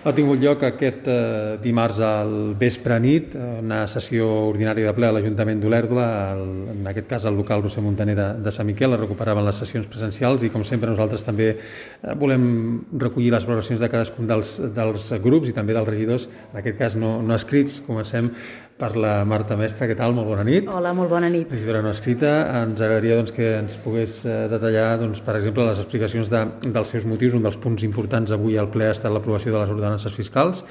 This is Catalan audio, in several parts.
Ha tingut lloc aquest dimarts al vespre nit, una sessió ordinària de ple a l'Ajuntament d'Olèrdola, en aquest cas al local Roser Montaner de Sant Miquel. Es recuperaven les sessions presencials i, com sempre, nosaltres també volem recollir les valoracions de cadascun dels grups i també dels regidors, en aquest cas no escrits. Comencem per la Marta Mestre. Què tal? Molt bona nit. Hola, molt bona nit. Regidora no escrita. Ens agradaria que ens pogués detallar, per exemple, les explicacions dels seus motius. Un dels punts importants avui al ple ha estat l'aprovació de les ordenances fiscals.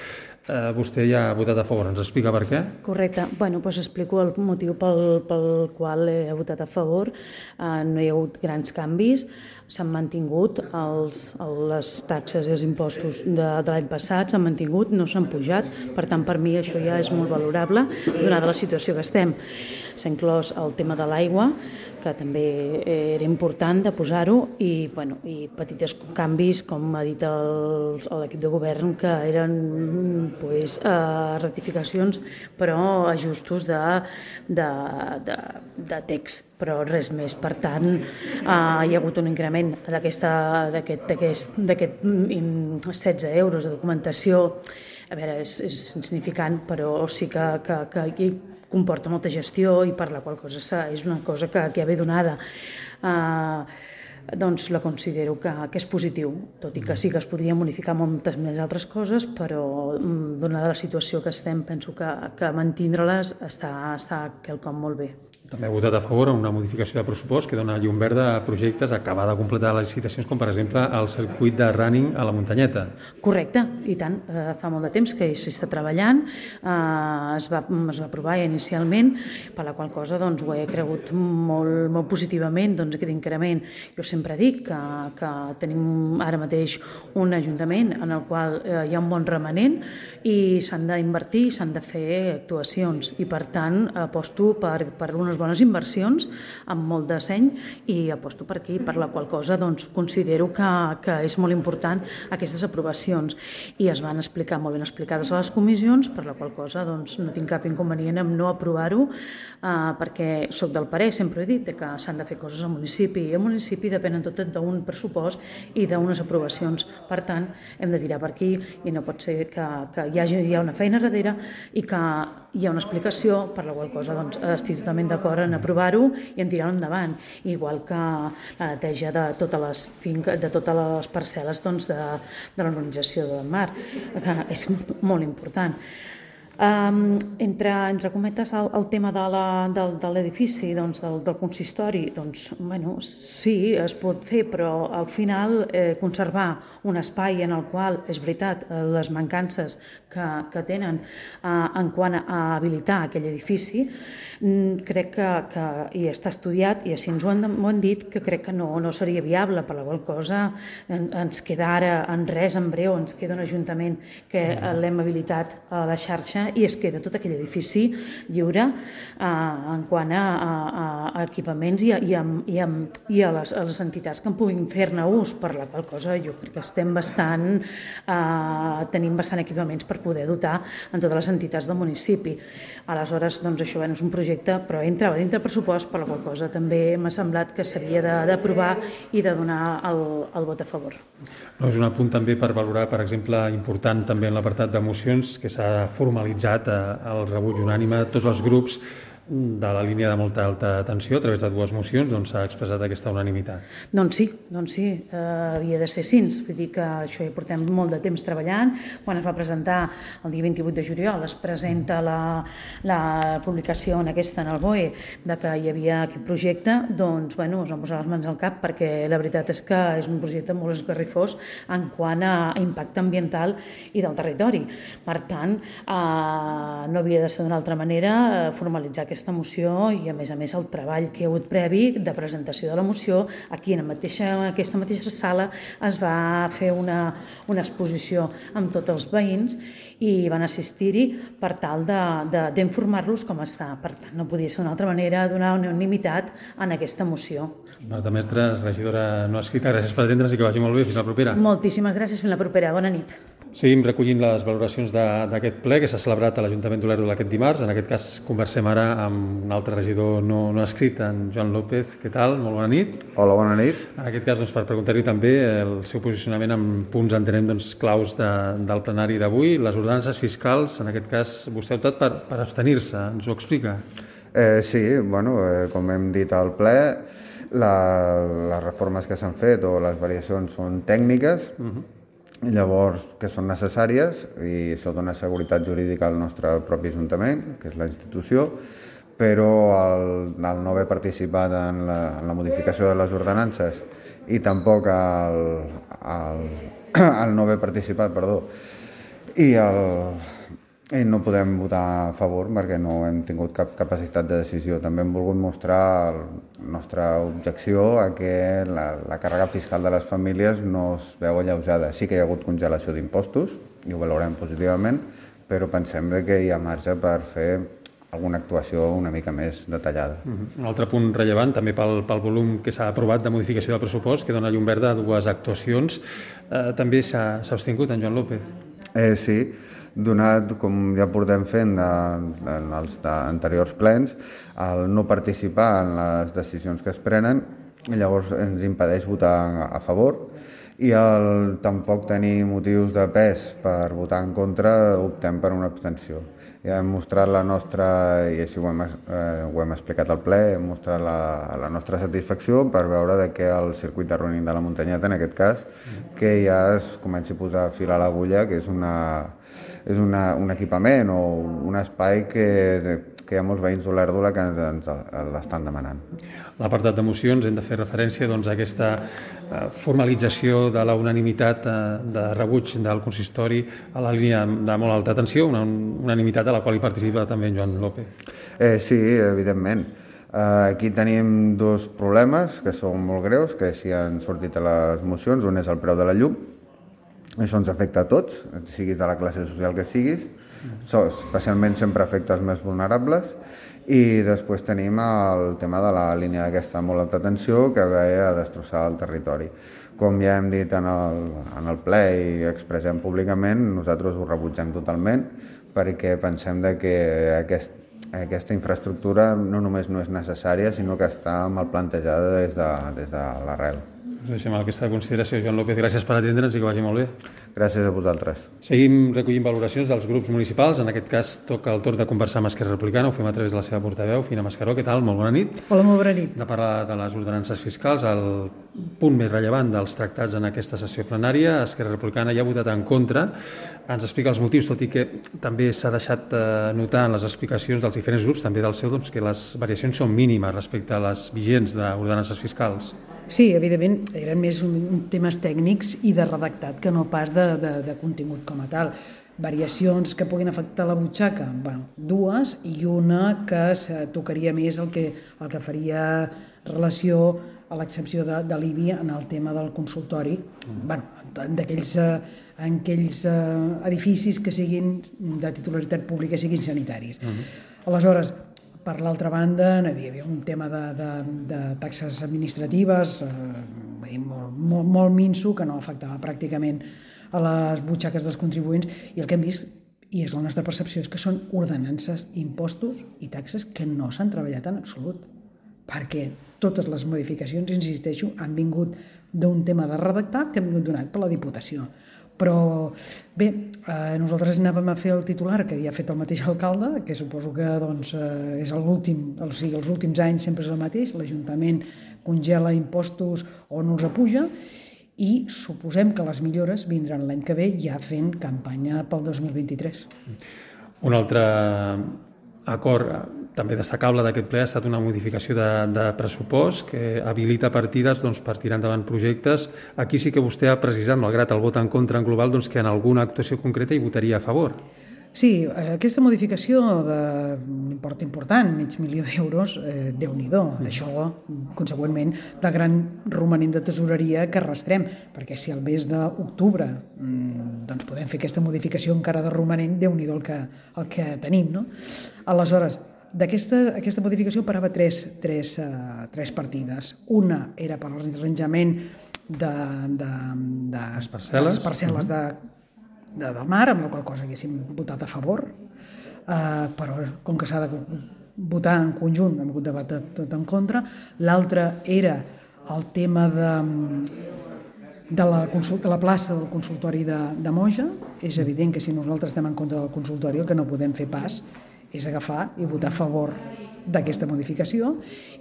Vostè ja ha votat a favor. Ens explica per què? Correcte. Explico el motiu pel qual he votat a favor. No hi ha hagut grans canvis. S'han mantingut les taxes i els impostos de l'any passat, s'han mantingut, no s'han pujat. Per tant, per mi això ja és molt valorable, donada la situació que estem. S'ha inclòs el tema de l'aigua, que també era important de posar-ho, i petits canvis, com ha dit l'equip de govern, que eren rectificacions, però ajustos de text, però res més. Per tant, hi ha hagut un increment d'aquests 16 euros de documentació. A veure, és insignificant, però sí que comporta molta gestió i per la qual cosa és una cosa que ja ve donada. Doncs la considero que és positiu, tot i que sí que es podria modificar moltes més altres coses, però donada la situació que estem, penso que mantindre-les està quelcom molt bé. També ha votat a favor una modificació de pressupost que dona llum verda a projectes, acabar de completar les licitacions, com per exemple el circuit de running a la muntanyeta. Correcte, i tant. Fa molt de temps que s'hi està treballant, es va aprovar inicialment, per la qual cosa ho he cregut molt positivament, aquest increment. Jo sempre dic que tenim ara mateix un ajuntament en el qual hi ha un bon remanent i s'han d'invertir, s'han de fer actuacions, i per tant aposto per unes bones inversions amb molt de seny, i aposto per aquí, per la qual cosa considero que és molt important aquestes aprovacions, i es van explicar molt ben explicades a les comissions, per la qual cosa no tinc cap inconvenient en no aprovar-ho, perquè soc del parer, sempre he dit, que s'han de fer coses al municipi, i al municipi depenen tot d'un pressupost i d'unes aprovacions. Per tant, hem de tirar per aquí, i no pot ser que hi ha una feina darrere i que hi ha una explicació, per la qual cosa estic totalment d'acord en aprovar-ho i en tirar-ho endavant, igual que la neteja de totes les parcel·les de l'organització del mar, que és molt important. Entre cometes, el tema de l'edifici, del consistori, sí, es pot fer, però al final conservar un espai en el qual, és veritat, les mancances que tenen en quant a habilitar aquell edifici, crec que i està estudiat, i així ens ho han dit, que crec que no seria viable, per la qual cosa ens queda ara en res, en breu, ens queda un ajuntament que l'hem habilitat a la xarxa, i es queda tot aquell edifici lliure en quant a equipaments i a les entitats que en puguin fer-ne ús, per la qual cosa jo crec que tenim bastant equipaments per poder dotar en totes les entitats del municipi. Aleshores, això és un projecte, però entrava dintre el pressupost, per la qual cosa també m'ha semblat que s'havia d'aprovar i de donar el vot a favor. És un apunt també per valorar, per exemple, important també en l'apartat de mocions, que s'ha formalitzat el rebuig unànime de tots els grups de la línia de molta alta tensió a través de 2 mocions, s'ha expressat aquesta unanimitat. Doncs sí, havia de ser així. Vull dir que això hi portem molt de temps treballant. Quan es va presentar el dia 28 de juliol, es presenta la publicació en el BOE de que hi havia aquest projecte, es van posar les mans al cap, perquè la veritat és que és un projecte molt esgarrifós en quant a impacte ambiental i del territori. Per tant, no havia de ser d'una altra manera formalitzar aquesta moció, i a més el treball que hi ha hagut previ de presentació de la moció. Aquí en aquesta mateixa sala es va fer una exposició amb tots els veïns i van assistir-hi per tal d'informar-los com està. Per tant, no podia ser d'una altra manera donar unanimitat en aquesta moció. Marta Mestre, regidora no escrita, gràcies per atendre'ns i que vagi molt bé. Fins la propera. Moltíssimes gràcies, fins la propera. Bona nit. Seguim recollint les valoracions d'aquest ple que s'ha celebrat a l'Ajuntament d'Olèrdola aquest dimarts. En aquest cas conversem ara amb un altre regidor no escrit, en Joan López. Què tal? Molt bona nit. Hola, bona nit. En aquest cas, per preguntar-li també el seu posicionament en punts, entenem, claus del plenari d'avui. Les ordenances fiscals, en aquest cas, vostè ha optat per abstenir-se. Ens ho explica? Sí, com hem dit al ple, les reformes que s'han fet o les variacions són tècniques, llavors que són necessàries i això dona seguretat jurídica al nostre propi Ajuntament, que és la institució, però el no haver participat en la modificació de les ordenances i tampoc el no haver participat, i no podem votar a favor perquè no hem tingut cap capacitat de decisió. També hem volgut mostrar la nostra objecció a que la càrrega fiscal de les famílies no es veu alleujada. Sí que hi ha hagut congelació d'impostos, i ho valorem positivament, però pensem que hi ha marge per fer alguna actuació una mica més detallada. Un altre punt rellevant, també pel volum que s'ha aprovat de modificació del pressupost, que dona llum verda a dues actuacions, també s'ha abstingut en Joan López. Sí, donat, com ja portem fent en els anteriors plens, el no participar en les decisions que es prenen, llavors ens impedeix votar a favor, i tampoc tenir motius de pes per votar en contra, optem per una abstenció. Ja hem mostrat la nostra, i així ho hem explicat al ple, hem mostrat la nostra satisfacció per veure que el circuit de running de la muntanyeta, en aquest cas, que ja es comenci a posar fil a l'agulla, que és un equipament o un espai que hi ha molts veïns d'Olèrdola que ens l'estan demanant. A l'apartat de mocions hem de fer referència a aquesta formalització de la unanimitat de rebuig del consistori a la línia de molt alta tensió, una unanimitat a la qual hi participa també en Joan López. Sí, evidentment. Aquí tenim dos problemes que són molt greus, que sí han sortit a les mocions. Un és el preu de la llum. Això ens afecta a tots, siguis de la classe social que siguis. Especialment sempre afecta els més vulnerables. I després tenim el tema de la línia d'aquesta molt alta tensió que ve a destrossar el territori. Com ja hem dit en el ple i expressem públicament, nosaltres ho rebutgem totalment perquè pensem que aquesta infraestructura no només no és necessària, sinó que està mal plantejada des de l'arrel. Deixem aquesta consideració. Joan López, gràcies per atendre'ns i que vagi molt bé. Gràcies a vosaltres. Seguim recollint valoracions dels grups municipals. En aquest cas toca el torn de conversar amb Esquerra Republicana. Ho fem a través de la seva portaveu, Fina Mascaró. Què tal? Molt bona nit. Hola, molt bona nit. De parlar de les ordenances fiscals, el punt més rellevant dels tractats en aquesta sessió plenària. Esquerra Republicana ja ha votat en contra. Ens explica els motius, tot i que també s'ha deixat notar en les explicacions dels diferents grups, també del seu, que les variacions són mínimes respecte a les vigents d'ordenances fiscals. Sí, evidentment, eren més temes tècnics i de redactat que no pas de contingut com a tal. Variacions que puguin afectar la butxaca, dues, i una que tocaria més el que faria relació a l'excepció de l'IBI en el tema del consultori, en aquells edificis que siguin de titularitat pública, siguin sanitaris. Aleshores, per l'altra banda, hi havia un tema de taxes administratives molt minso, que no afectava pràcticament a les butxaques dels contribuents, i el que hem vist, i és la nostra percepció, és que són ordenances, impostos i taxes que no s'han treballat en absolut, perquè totes les modificacions, insisteixo, han vingut d'un tema de redactat que han vingut donat per la Diputació. Però bé, nosaltres anàvem a fer el titular que ja ha fet el mateix alcalde, que suposo que és l'últim, o sigui, els últims anys sempre és el mateix, l'Ajuntament congela impostos o no els apuja, i suposem que les millores vindran l'any que ve ja fent campanya pel 2023. Un altre acord també destacable d'aquest ple ha estat una modificació de pressupost que habilita partides per tirar endavant projectes. Aquí sí que vostè ha precisat, malgrat el vot en contra en global, que en alguna actuació concreta hi votaria a favor. Sí, aquesta modificació d'un import important, $500.000, Déu-n'hi-do. Això, consegüentment, de gran romanent de tesoreria que arrastrem, perquè si al mes d'octubre podem fer aquesta modificació encara de romanent, Déu-n'hi-do el que tenim, no? Aleshores, aquesta modificació parava tres partides. Una era per l'arranjament de les parcel·les del mar, amb la qual cosa haguéssim votat a favor, però com que s'ha de votar en conjunt, hem hagut de votar tot en contra. L'altre era el tema de la plaça del consultori de Moja. És evident que si nosaltres estem en contra del consultori, el que no podem fer pas és agafar i votar a favor d'aquesta modificació.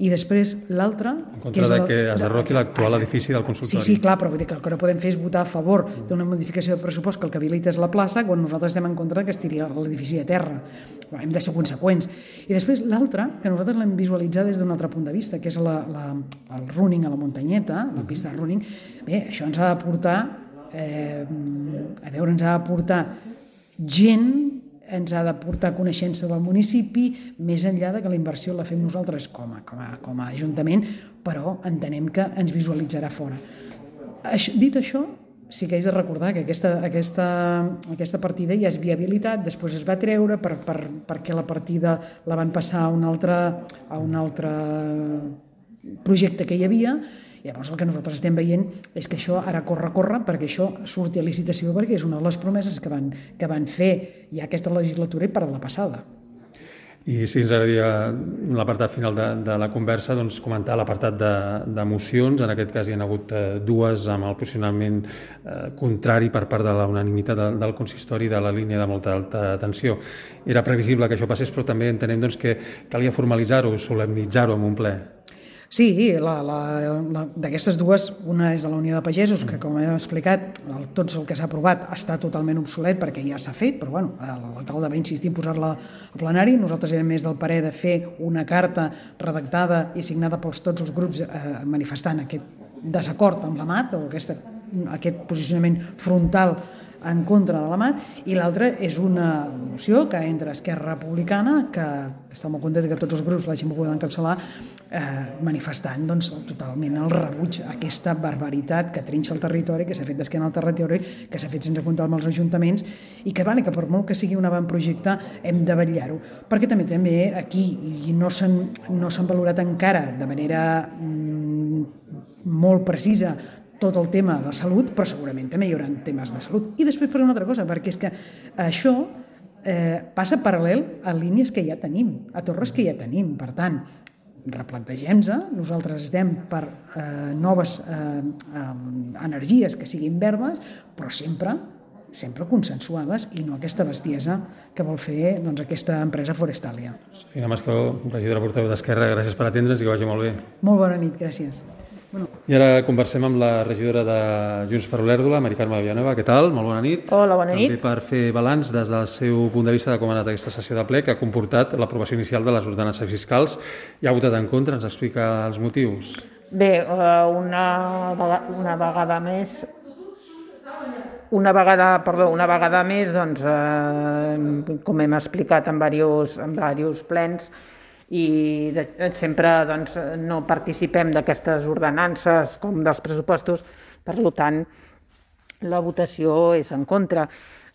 I després l'altra... En contra que es derroqui l'actual edifici del consultori. Sí, clar, però vull dir que el que no podem fer és votar a favor d'una modificació de pressupost que el que habilita és la plaça quan nosaltres estem en contra que es tiri l'edifici a terra. Hem de ser conseqüents. I després l'altra, que nosaltres l'hem visualitzat des d'un altre punt de vista, que és el running a la muntanyeta, la pista de running. Bé, això ens ha de portar ens ha de portar gent, ens ha de portar coneixença del municipi, més enllà de que la inversió la fem nosaltres com a Ajuntament, però entenem que ens visualitzarà fora. Dit això, sí que haig de recordar que aquesta partida ja és viabilitat, després es va treure perquè la partida la van passar a un altre projecte que hi havia. Llavors el que nosaltres estem veient és que això ara corre, perquè això surti a licitació, perquè és una de les promeses que van fer ja aquesta legislatura i per la passada. I sí, ens agradaria, en l'apartat final de la conversa, doncs, comentar l'apartat de mocions. En aquest cas hi ha hagut dues amb el posicionament contrari per part de la unanimitat del consistori de la línia de molta alta tensió. Era previsible que això passés, però també entenem que calia formalitzar-ho, solemnitzar-ho en un ple. Sí, d'aquestes dues, una és de la Unió de Pagesos, que com hem explicat, tot el que s'ha aprovat està totalment obsolet perquè ja s'ha fet, però l'alcalde va insistir en posar-la al plenari. Nosaltres érem més del parer de fer una carta redactada i signada per tots els grups manifestant aquest desacord amb la MAT o aquest posicionament frontal en contra de la MAT, i l'altra és una moció que entre Esquerra Republicana, que està molt content que tots els grups l'hagin pogut encapçalar, manifestant totalment el rebuig a aquesta barbaritat que trinxa el territori, que s'ha fet d'esquena al territori, que s'ha fet sense comptar amb els ajuntaments i que per molt que sigui un avantprojecte hem de vetllar-ho. Perquè també aquí no s'han valorat encara de manera molt precisa tot el tema de salut, però segurament també hi haurà temes de salut. I després per una altra cosa, perquè és que això passa paral·lel a línies que ja tenim, a torres que ja tenim. Per tant, replantegem-se, nosaltres estem per noves energies que siguin verdes, però sempre consensuades i no aquesta bestiesa que vol fer aquesta empresa Forestalia. Sofia Mascaró, regidora portaveu d'Esquerra, gràcies per atendre'ns i que vagi molt bé. Molt bona nit, gràcies. I ara conversem amb la regidora de Junts per Olèrdola, Mari Carme Villanueva. Què tal? Molt bona nit. Hola, bona nit. També per fer balanç des del seu punt de vista de com ha anat aquesta sessió de ple, que ha comportat l'aprovació inicial de les ordenances fiscals. Hi ha votat en contra, ens explica els motius. Bé, una vegada més, doncs, com hem explicat en diversos plens, i sempre no participem d'aquestes ordenances com dels pressupostos, per tant, la votació és en contra.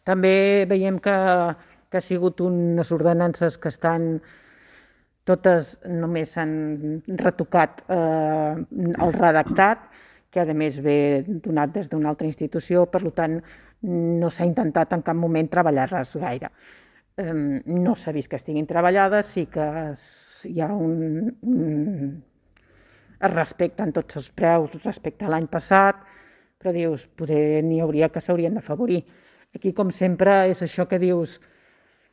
També veiem que ha sigut unes ordenances que estan totes, només s'han retocat el redactat, que a més ve donat des d'una altra institució, per tant, no s'ha intentat en cap moment treballar-les gaire. No s'ha vist que estiguin treballades, sí que hi ha es respecten tots els preus respecte a l'any passat, però dius, poder n'hi hauria que s'haurien d'afavorir. Aquí, com sempre, és això que dius,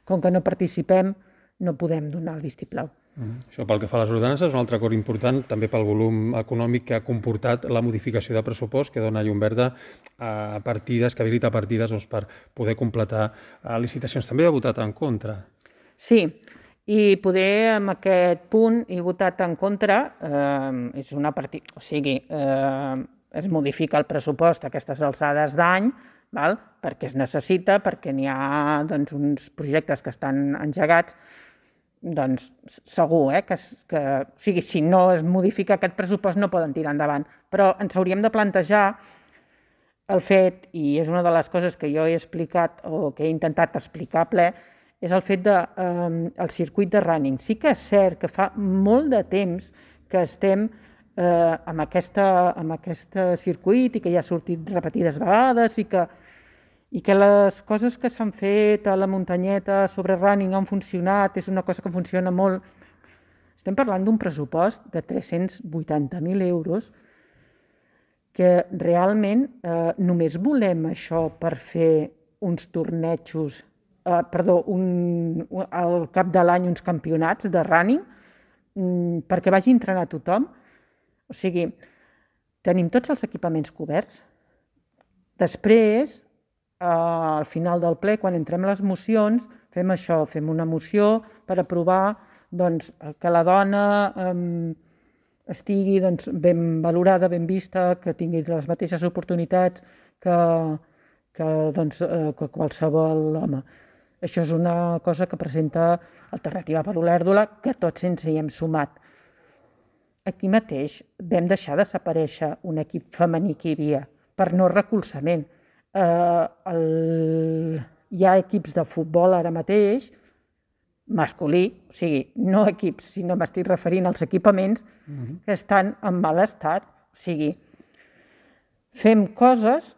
com que no participem, no podem donar el vistiplau. Això pel que fa a les ordenances, un altre acord important també pel volum econòmic que ha comportat la modificació de pressupost que dona llum verda a partides, que habilita partides per poder completar licitacions. També ha votat en contra. Sí, i poder amb aquest punt he votat en contra, és una partida, o sigui, es modifica el pressupost a aquestes alçades d'any, perquè es necessita, perquè n'hi ha uns projectes que estan engegats, doncs segur que si no es modifica aquest pressupost no poden tirar endavant. Però ens hauríem de plantejar el fet, i és una de les coses que jo he explicat o que he intentat explicar a ple, és el fet del circuit de running. Sí que és cert que fa molt de temps que estem amb aquest circuit i que ja ha sortit repetides vegades i i que les coses que s'han fet a la muntanyeta sobre running han funcionat, és una cosa que funciona molt. Estem parlant d'un pressupost de 380.000 euros que realment només volem això per fer uns tornejos, al cap de l'any uns campionats de running, perquè vagi a entrenar tothom. O sigui, tenim tots els equipaments coberts. Després, al final del ple, quan entrem les mocions, fem això, fem una moció per aprovar que la dona estigui ben valorada, ben vista, que tingui les mateixes oportunitats que qualsevol home. Això és una cosa que presenta Alternativa per Olèrdola, que tots ens hi hem sumat. Aquí mateix vam deixar desaparèixer un equip femení que hi havia per no recolzament. Hi ha equips de futbol ara mateix, masculí, o sigui, no equips, sinó m'estic referint als equipaments que estan en mal estat. O sigui, fem coses,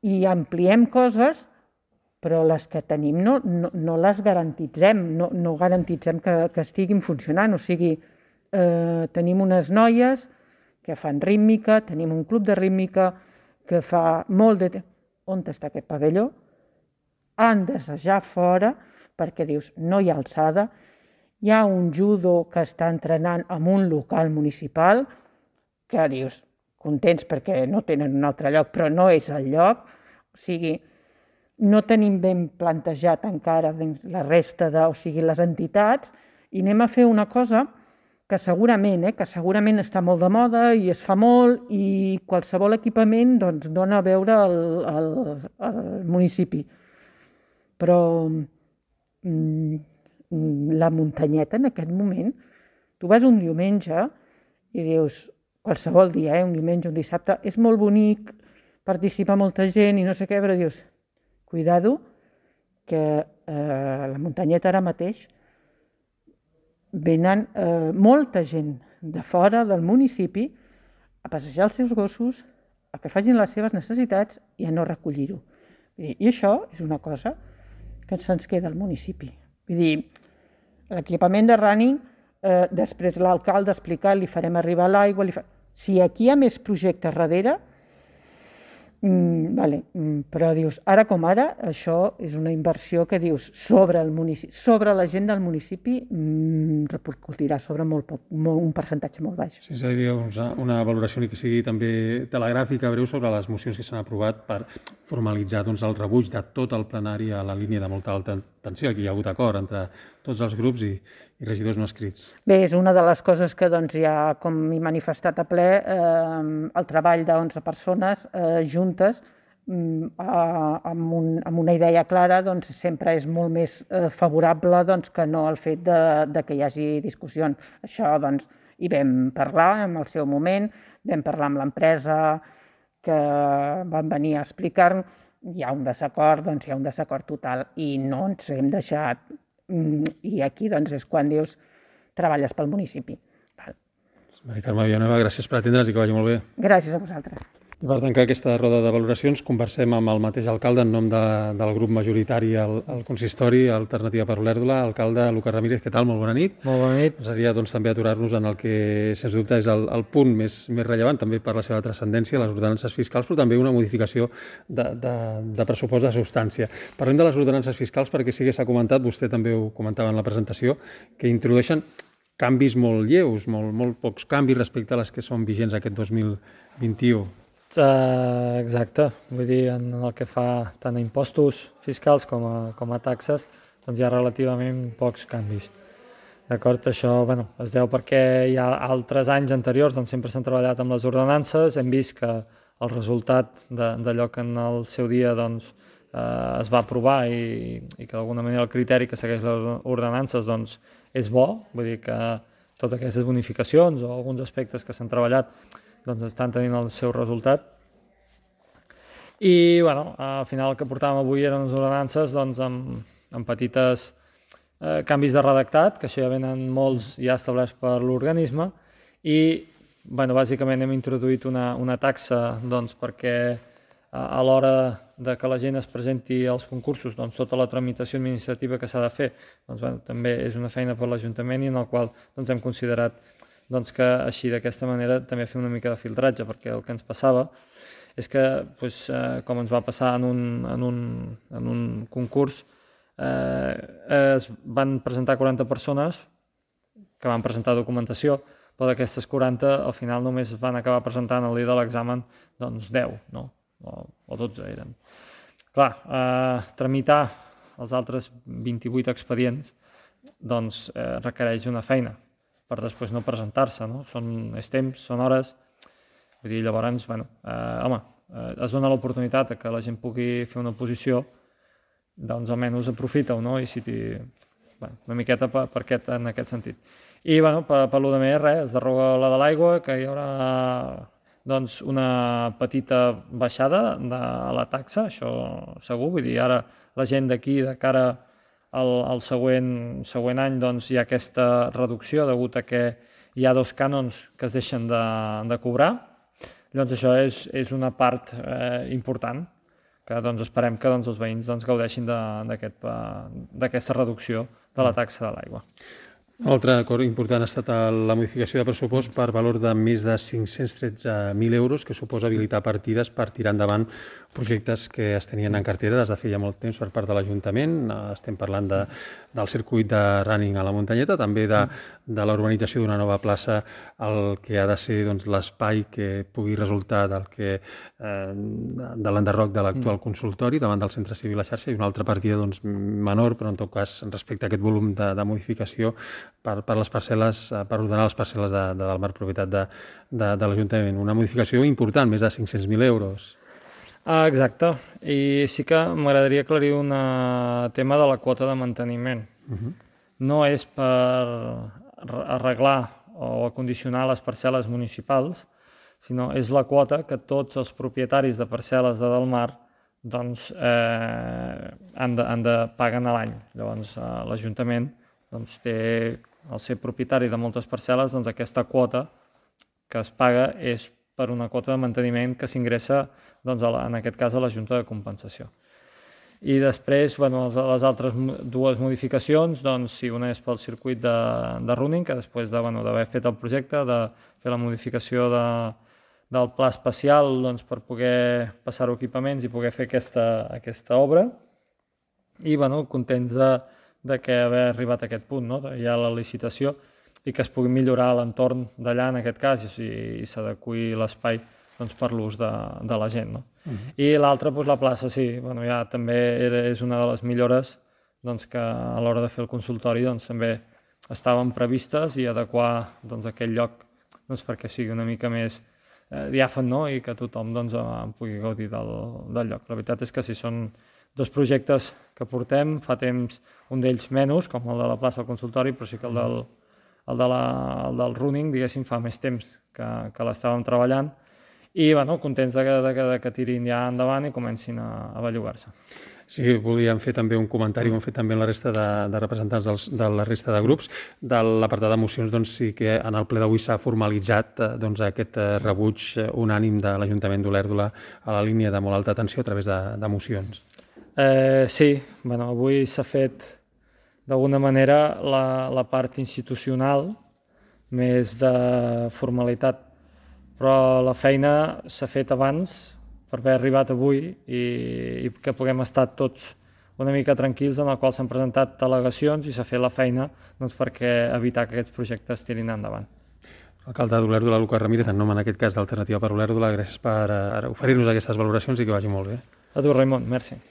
i ampliem coses, però les que tenim no les garantitzem, no garantitzem que estiguin funcionant. O sigui, tenim unes noies que fan rítmica, tenim un club de rítmica que fa molt de temps. On està aquest pavelló? Han d'assajar fora, perquè dius, no hi ha alçada. Hi ha un judo que està entrenant en un local municipal, que dius, contents perquè no tenen un altre lloc, però no és el lloc. O sigui, no tenim ben plantejat encara la resta les entitats, i anem a fer una cosa que segurament està molt de moda i es fa molt, i qualsevol equipament dona a veure al municipi. Però la muntanyeta en aquest moment, tu vas un diumenge i dius, qualsevol dia, un diumenge, un dissabte, és molt bonic, participa molta gent i no sé què, però dius, cuidado, que la muntanyeta ara mateix venen molta gent de fora del municipi a passejar els seus gossos, a que facin les seves necessitats i a no recollir-ho. I això és una cosa que se'ns queda al municipi. Vull dir, l'equipament de running, després l'alcalde explicar, li farem arribar l'aigua, si aquí hi ha més projectes darrere, però dius, ara com ara, això és una inversió que dius sobre la gent del municipi repercutirà sobre un percentatge molt baix. Sí, és a dir, una valoració que sigui també telegràfica, breu, sobre les mocions que s'han aprovat per formalitzar el rebuig de tot el plenari a la línia de molta alta tensió. Aquí hi ha hagut acord entre tots els grups i regidors no escrits. Bé, és una de les coses que ja, com he manifestat a ple, el treball d'11 persones juntes amb una idea clara sempre és molt més favorable que no el fet que hi hagi discussions. Això hi vam parlar en el seu moment, vam parlar amb l'empresa que van venir a explicar-nos, hi ha un desacord, hi ha un desacord total i no ens hem deixat. I aquí és quan dius treballes pel municipi. Mari Carme Villanueva, gràcies per atendre'ns i que vagi molt bé. Gràcies a vosaltres. I per tancar aquesta roda de valoracions, conversem amb el mateix alcalde en nom del grup majoritari al consistori Alternativa per Olèrdola. Alcalde Lucas Ramírez, què tal? Molt bona nit. Molt bona nit. Seria també aturar-nos en el que, sens dubte, és el punt més rellevant, també per la seva transcendència, les ordenances fiscals, però també una modificació de pressupost de substància. Parlem de les ordenances fiscals perquè sí que s'ha comentat, vostè també ho comentava en la presentació, que introdueixen canvis molt lleus, molt pocs canvis respecte a les que són vigents aquest 2021. Exacte, vull dir, en el que fa tant a impostos fiscals com a taxes, hi ha relativament pocs canvis. D'acord, això es deu perquè hi ha altres anys anteriors sempre s'han treballat amb les ordenances, hem vist que el resultat d'allò que en el seu dia es va aprovar i que d'alguna manera el criteri que segueix les ordenances és bo, vull dir que totes aquestes bonificacions o alguns aspectes que s'han treballat estan tenint el seu resultat. I al final el que portàvem avui eren les ordenances amb petites canvis de redactat, que això ja venen molts ja establerts per l'organisme, i bàsicament hem introduït una taxa perquè a l'hora de que la gent es presenti als concursos, doncs tota la tramitació administrativa que s'ha de fer, doncs, bueno, també és una feina per l'Ajuntament i en el qual doncs, hem considerat doncs, que així d'aquesta manera també fem una mica de filtratge, perquè el que ens passava és que, doncs, com ens va passar en un concurs, es van presentar 40 persones que van presentar documentació, però d'aquestes 40 al final només van acabar presentant el dia de l'examen doncs 10, no? O 12 eren. Clar, tramitar els altres 28 expedients doncs requereix una feina per després no presentar-se, no? És temps, són hores, vull dir, llavors, bueno, es dona l'oportunitat que la gent pugui fer una oposició, doncs almenys aprofita-ho, no? I si una miqueta en aquest sentit. I, bueno, per lo de més, res, es deroga la de l'aigua, que hi haurà doncs una petita baixada de la taxa, això segur, vull dir, ara la gent d'aquí, de cara al següent any, doncs hi ha aquesta reducció degut a que hi ha 2 cànons que es deixen de cobrar, llavors això és una part important, que doncs esperem que els veïns gaudeixin d'aquesta reducció de la taxa de l'aigua. Un altre acord important ha estat la modificació de pressupost per valor de més de 513.000 euros, que suposa habilitar partides per tirar endavant projectes que es tenien en cartera des de feia molt temps per part de l'Ajuntament. Estem parlant del circuit de running a la muntanyeta, també de la urbanització d'una nova plaça, el que ha de ser l'espai que pugui resultar de l'enderroc de l'actual consultori davant del centre civil a xarxa, i una altra partida menor, però en tot cas respecte a aquest volum de modificació per les parcel·les, per ordenar les parcel·les del marc propietat de l'Ajuntament. Una modificació important, més de 500.000 euros. Exacte, i sí que m'agradaria aclarir un tema de la quota de manteniment. No és per arreglar o acondicionar les parcel·les municipals, sinó és la quota que tots els propietaris de parcel·les de Delmar doncs, paguen a l'any. Llavors l'Ajuntament té, al ser propietari de moltes parcel·les, aquesta quota que es paga és per una quota de manteniment que s'ingressa, en aquest cas, a la Junta de Compensació. I després, les altres 2 modificacions, una és pel circuit de running, que després d'haver fet el projecte, de fer la modificació del pla especial per poder passar-ho equipaments i poder fer aquesta obra. I contents de que haver arribat a aquest punt, hi ha la licitació i que es pugui millorar l'entorn d'allà, en aquest cas, i s'adequi l'espai per l'ús de la gent. I l'altra, la plaça, sí, ja també és una de les millores que a l'hora de fer el consultori també estaven previstes i adequar aquell lloc perquè sigui una mica més diàfan i que tothom pugui gaudir del lloc. La veritat és que sí, són 2 projectes que portem, fa temps un d'ells menys, com el de la plaça del consultori, però sí que el del running, diguéssim, fa més temps que l'estàvem treballant i contents que tirin ja endavant i comencin a bellugar-se. Sí, volíem fer també un comentari, ho han fet també la resta de representants de la resta de grups. De l'apartat de mocions, sí que en el ple d'avui s'ha formalitzat aquest rebuig unànim de l'Ajuntament d'Olèrdola a la línia de molt alta tensió a través de mocions. Sí, avui s'ha fet d'alguna manera la part institucional més de formalitat, però la feina s'ha fet abans per haver arribat avui i que puguem estar tots una mica tranquils, en el qual s'han presentat al·legacions i s'ha fet la feina perquè evitar que aquests projectes tirin endavant. Alcalde d'Olèrdola, Lucas Ramírez, en nom en aquest cas d'Alternativa per Olèrdola, gràcies per oferir-nos aquestes valoracions i que vagi molt bé. A tu, Raimon, merci.